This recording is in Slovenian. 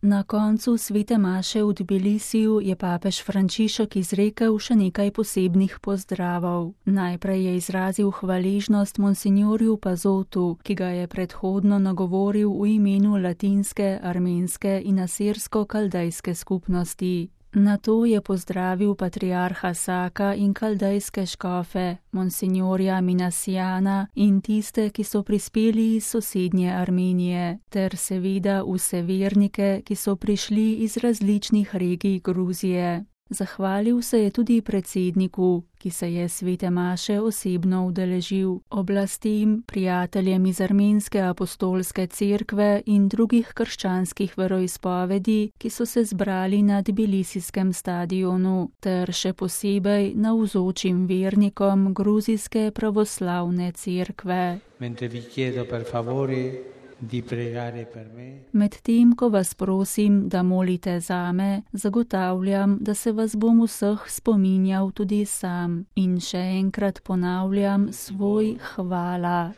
Na koncu svete maše v Tbilisiju je papež Frančišek izrekel še nekaj posebnih pozdravov. Najprej je izrazil hvaležnost monsinjorju Pazotu, ki ga je predhodno nagovoril v imenu latinske, armenske in asirsko-kaldejske skupnosti. Nato je pozdravil patriarha Saka in kaldejske škofe, monsinjorja Minasjana in tiste, ki so prispeli iz sosednje Armenije, ter seveda vse vernike, ki so prišli iz različnih regij Gruzije. Zahvalil se je tudi predsedniku, ki se je svete maše osebno udeležil, oblastem, prijateljem iz Armenske apostolske cerkve in drugih krščanskih veroizpovedi, ki so se zbrali na Tbilisijskem stadionu, ter še posebej navzočim vernikom gruzijske pravoslavne cerkve. Medtem, ko vas prosim, da molite zame, zagotavljam, da se vas bom vseh spominjal tudi sam. In še enkrat ponavljam svoj hvala.